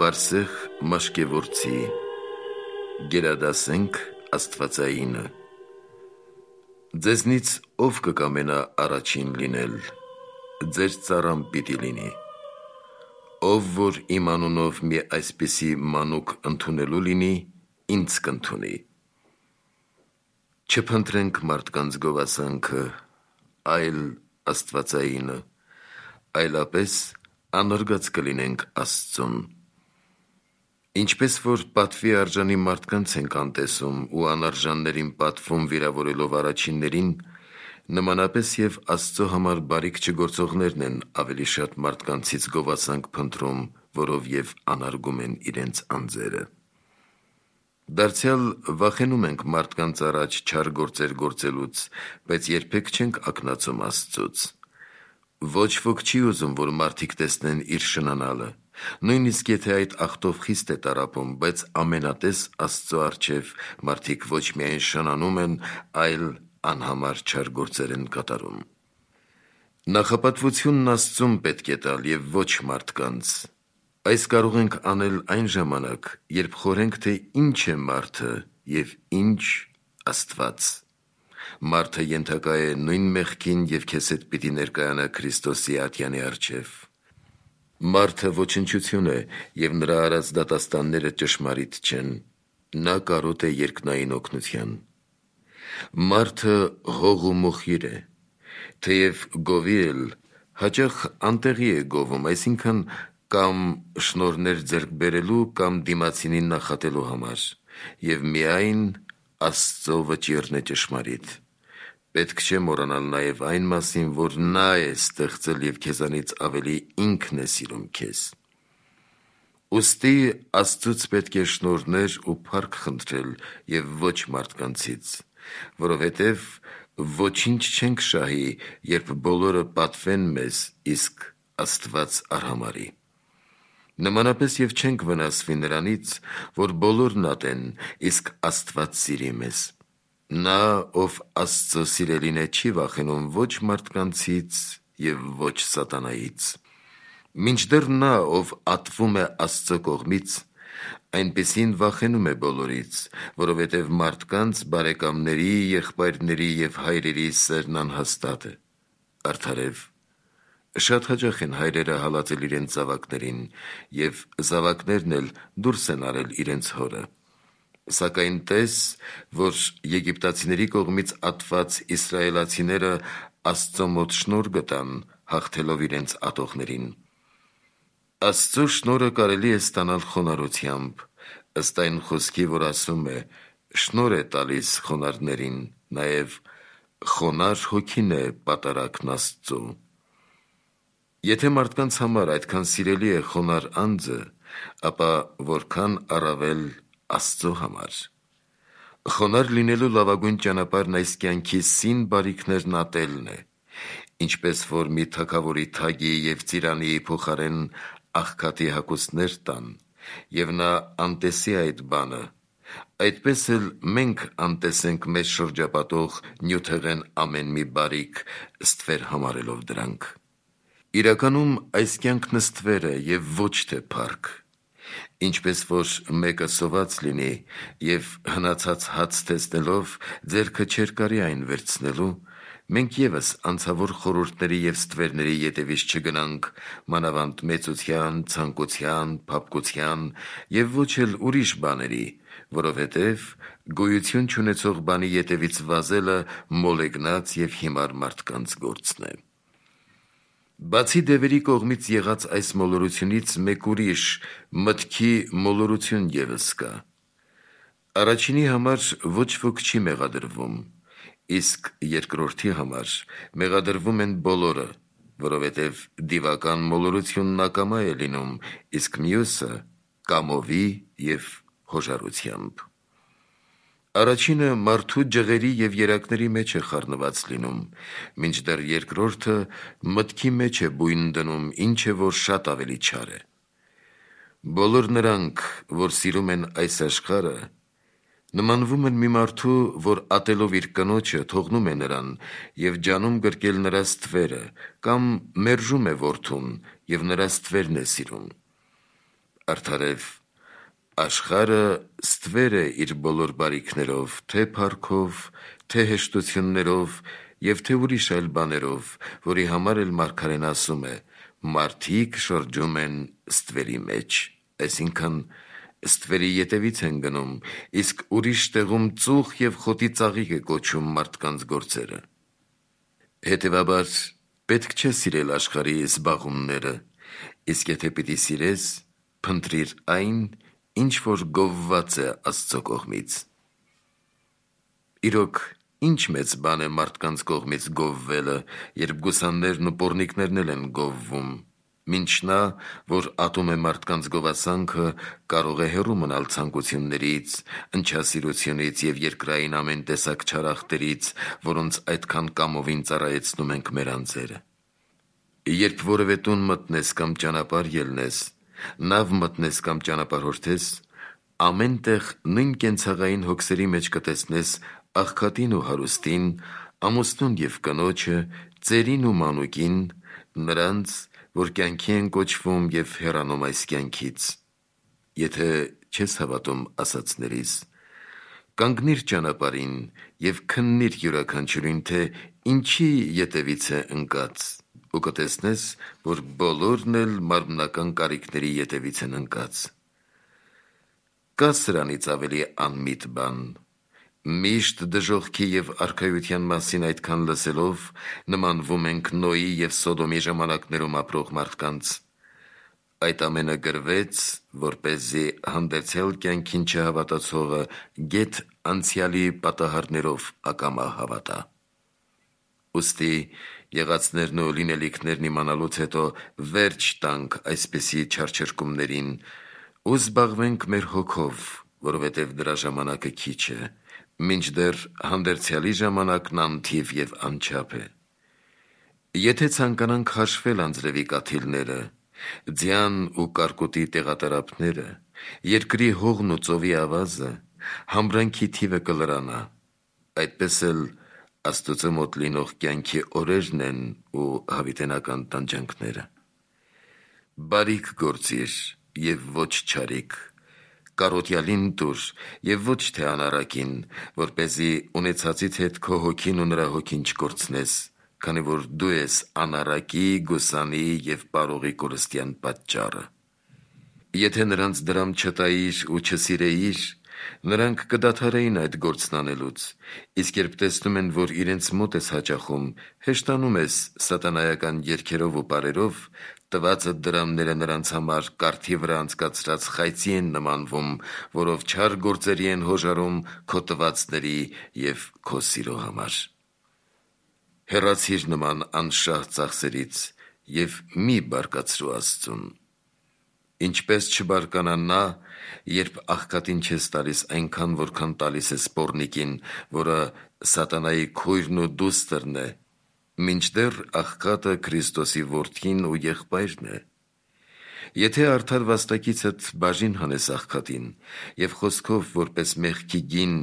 Բարսեղ Մաշկևորցի գերադասենք Աստվածայինը։ Ձեզնից ով կկամենա առաջին լինել, ձեր ծառան պիտի լինի։ Ով որ իմ անունով մի այսպիսի մանուկ ընդունելու լինի, ինձ կընդունի։ Չփնտրենք մարդկանց գովասանքը, այլ Աստվածայինը, այլապես անարգած կլինենք Աստծուն։ Ինչպես որ պատվի արժանի մարդկանց ենք անտեսում ու անարժաններին պատվում վիրավորելով առաջիններին, նմանապես և Աստծո համար բարիք չգործողներն են ավելի շատ մարդկանցից գովասանք փնտրում, որով և անարգում են իրենց անձերը։ Դարձյալ վախենում ենք մարդկանց առաջ չար գործեր գործելուց, բայց երբեք չենք ակնածում Աստծուց։ Ոչ ոք չի ուզում, որ մարդիկ տեսնեն իր շնանալը, նույնիսկ եթե այդ ախտով խիստ է տառապում, բայց ամենատես Աստծո առջև մարդիկ ոչ միայն շնանում են, այլ անհամար չար գործեր են կատարում։ Նախապատվությունն Աստծուն պետք է տալ և ոչ մարդկանց։ Այս կարող ենք անել այն ժամանակ, երբ խորհենք, թե ինչ է մարդը և ինչ Աստված։ Մարդը ենթակա է նույն մեղքին և քեզ հետ պիտի ներկայանա Քրիստոսի ատյանի առջև։ Մարդը ոչնչություն է և նրա արած դատաստանները ճշմարիտ չեն, նա կարոտ է երկնային օգնության։ Մարդը հող ու մոխիր է, թեև գովի էլ, հաճախ անտեղի է գովում, այսինքն կամ շնորհներ ձեռք բերելու, կամ դիմացինին նախատելու համար, և միայն Աստծո վճիռն է ճշմարիտ։ Պետք չէ մոռանալ նաև այն մասին, որ նա է ստեղծել և քեզանից ավելի ինքն է սիրում քեզ։ Ուստի Աստծուց պետք է շնորհներ ու փառք խնդրել և ոչ մարդկանցից, որովհետև ոչինչ չենք շահի, երբ բոլորը պատվեն մեզ, իսկ Աստված արհամարհի։ Նմանապես և չենք վնասվի նրանից, որ բոլորն ատեն, իսկ Աստված սիրի մեզ։ Նա, ով Աստծո սիրելին է, չի վախենում ոչ մարդկանցից և ոչ սատանայից։ Մինչդեռ նա, ով ատվում է Աստծո կողմից, այնպիսին վախենում է բոլորից, որովհետև մարդկանց, բարեկամների, եղբայրների և հայրերի սերն անհաստատ է։ Արդարև, շատ հաճախ են հայրերը հալածել իրենց զավակներին, և զավակներն էլ դուրս են արել իրենց հորը։ Սակայն տես, որ եգիպտացիների կողմից ատված իսրայելացիները Աստծո մոտ շնորհ գտան, հաղթելով իրենց ատողներին։ Աստծո շնորհը կարելի է ստանալ խոնարհությամբ, ըստ այն խոսքի, որ ասում է. «Շնորհ է տալիս խոնարհներին», նաև «Խոնարհ հոգին է պատարագն Աստծո»։ Եթե մարդկանց համար այդքան սիրելի է խոնարհ անձը, ապա որքան առավել Աստծո համար։ Խոնարհ լինելու լավագույն ճանապարհն այս կյանքի սին բարիքներն ատելն է, ինչպես որ մի թագավորի թագի և ծիրանի փոխարեն աղքատի հագուստներ տան, և նա անտեսի այդ բանը, այդպես էլ մենք անտեսենք մեզ շրջապատող նյութեղեն ամեն մի բարիք, ստվեր համարելով դրանք։ Իրականում այս կյանքն ստվեր է և ոչ թե փառք։ Ինչպես որ մեկը սոված լինի և հնացած հաց տեսնելով ձեռքը չէր կարի այն վերցնելու, մենք ևս անցավոր խորհուրդների և ստվերների ետևից չգնանք, մանավանդ մեծության, ցանկության, փափկության և ոչ էլ ուրիշ բաների, որովհետև գոյություն չունեցող բանի ետևից վազելը մոլեգնած և հիմար մարդկանց գործն է։ Բացի դևերի կողմից եղած այս մոլորությունից մեկ ուրիշ մտքի մոլորություն ևս կա։ Առաջինի համար ոչ ոք չի մեղադրվում, իսկ երկրորդի համար մեղադրվում են բոլորը, որովհետև դիվական մոլորությունն ակամա է լինում, իսկ մյուսը կամովի և հոժարությամբ։ Առաջինը մարդու ջղերի և երակների մեջ է խառնված լինում, մինչդեռ երկրորդը մտքի մեջ է բույն դնում, ինչը որ շատ ավելի չար է։ Բոլոր նրանք, որ սիրում են այս աշխարհը, նմանվում են մի մարդու, որ ատելով իր կնոջը թողնում է նրան և ջանում գրկել նրա ստվերը, կամ մերժում է որդուն և նրա ստվերն է սիրում։ Արդարև աշխարը ստվեր է իր բոլոր բարիքներով, թե փառքով, թե հեշտություններով և թե ուրիշ այլ բաներով, որի համար էլ մարգարեն ասում է. մարդիկ շրջում են ստվերի մեջ, այսինքն ստվերի ետևից են գնում, իսկ ուրիշ տեղում ծուխ և խոտի ծաղիկ է կոչում մարդկանց գործերը։ Հետևաբար պետք չէ սիրել աշխարհի զբաղումները, իսկ եթե պիտի սիրես, փնտրիր այն, ինչ որ գովված է Աստծո կողմից։ Իրոք, ինչ մեծ բան է մարդկանց կողմից գովվելը, երբ գուսաններն ու պոռնիկներն էլ են գովվում, մինչ նա, որ ատում է մարդկանց գովասանքը, կարող է հեռու մնալ ցանկություններից, ընչասիրությունից և երկրային ամեն տեսակ չարախտերից, որոնց այդքան կամովին ծառայեցնում ենք մեր անձերը։ Երբ որևէ տուն մտնես կամ ճանապարհ ելնես, նավ մտնես կամ ճանապարհորդես, ամեն տեղ նույն կենցաղային հոգսերի մեջ կտեսնես աղքատին ու հարուստին, ամուսնուն և կնոջը, ծերին ու մանուկին, նրանց, որ կյանքի են կոչվում և հեռանում այս կյանքից։ Եթե չես հավատում ասածներիս, կանգնիր ճանապարհին և քննիր յուրաքանչյուրին, թե ինչի ետևից է ընկած, ու կտեսնես, որ բոլորն էլ մարմնական կարիքների ետևից են ընկած։ Կա սրանից ավելի անմիտ բան։ Միշտ դժոխքի և արքայության մասին այդքան լսելով, նմանվում ենք Նոյի և Սոդոմի ժամանակներում ապրող մարդկանց։ Այդ ամենը գրվեց, որպեսզի հանդերձյալ կյանքին չհավատացողը գեթ անցյալի պատահարներով ակամա հավատա։ Ուստի եղածներն ու լինելիքներն իմանալուց հետո վերջ տանք այսպիսի չարչրկումներին ու զբաղվենք մեր հոգով, որովհետև դրա ժամանակը քիչ է, մինչդեռ հանդերձյալի ժամանակն անթիվ և անչափ է։ Եթե ցանկանանք հաշվել անձրևի կաթիլները, ձյան ու կարկուտի տեղատարափները, երկրի հողն ու ծովի ավազը, համրանքի թիվը կլրանա, այդպես էլ Աստծո մոտ լինող կյանքի օրերն են ու հավիտենական տանջանքները։ Բարիք գործիր և ոչ չարիք, կարոտյալին տուր և ոչ թե անառակին, որպեսզի ունեցածից հետ քո հոգին ու նրա հոգին չկորցնես, քանի որ դու ես անառակի, գուսանի և պարողի կորստյան պատճառը։ Եթե նրանց դրամ չտայիր ու չսիրեիր, նրանք կդադարեին այդ գործն անելուց, իսկ երբ տեսնում են, որ իրենց մոտ ես հաճախում, հեշտանում ես սատանայական երգերով ու պարերով, տվածդ դրամները նրանց համար կարթի վրա անցկացրած խայծի են նմանվում, որով չար գործերի են հոժարում քո տվածների և քո սիրո համար։ Հեռացիր նման անշահ ծախսերից և մի բարկացրու Աստծուն։ Ինչպես չբարկանա նա, երբ աղքատին չես տալիս այնքան, որքան տալիս ես պոռնիկին, որը սատանայի քույրն ու դուստրն է, մինչդեռ աղքատը Քրիստոսի որդին ու եղբայրն է։ Եթե արդար վաստակիցդ բաժին հանես աղքատին և խոսքով որպես մեղքի գին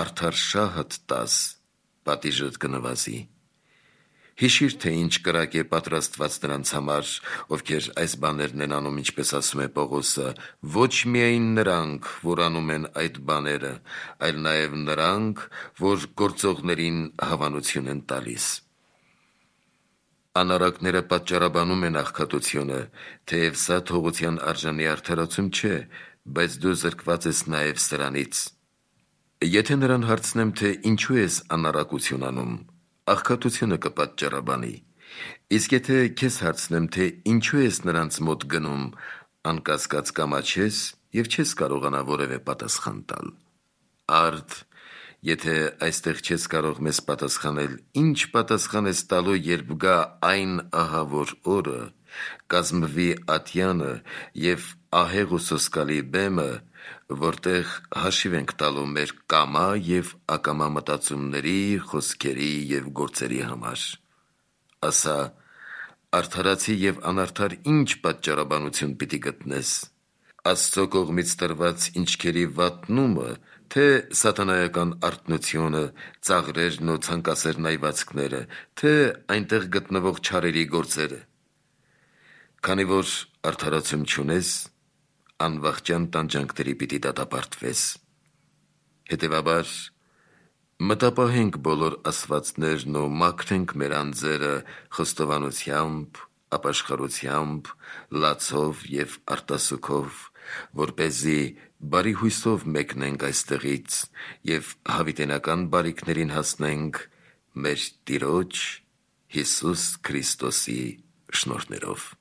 արդար շահդ տաս, պատիժդ կնվազի։ Հիշիր, թե ինչ կրակ է պատրաստված նրանց համար, ովքեր այս բաներն են անում, ինչպես ասում է Պողոսը, ոչ միայն նրանք, որ անում են այդ բաները, այլ նաև նրանք, որ գործողներին հավանություն են տալիս։ Անառակները պատճառաբանում են աղքատությունը, թեև սա թողության արժանի արդարացում չէ, բայց դու զրկված ես նաև սրանից։ Եթե նրան հարցնեմ, թե ինչու ես անառակություն անում, աղքատությունը կպատճառաբանի, իսկ եթե քեզ հարցնեմ, թե ինչու ես նրանց մոտ գնում, անկասկած կամաչես և չես կարողանա որևէ պատասխան տալ։ Արդ, եթե այստեղ չես կարող մեզ պատասխանել, ինչ պատասխան ես տալու, երբ գա այն ահավոր օրը, կազմվի ատյանը և ահեղ ու սոսկալի բեմը, որտեղ հաշիվ ենք տալու մեր կամա և ակամա մտածումների, խոսքերի և գործերի համար։ Ասա, արդարացի և անարդար ինչ պատճառաբանություն պիտի գտնես. Աստծո կողմից տրված ինչքերի վատնումը, թե սատանայական արթնությունը, ծաղրերն ու ցանկասեր նայվածքները, թե այնտեղ գտնվող չարերի գործերը։ Քանի որ արդարացում չունես, անվախճան տանջանքների պիտի դատապարտվես։ Հետևաբար, մտապահենք բոլոր ասվածներն ու մաքրենք մեր անձերը խոստովանությամբ, ապաշխարությամբ, լացով և արտասուքով, որպեսզի բարի հույսով մեկնենք այստեղից և հավիտենական բարիքներին հասնենք մեր Տիրոջ Հիսուս Քրիստոսի շնորհներով։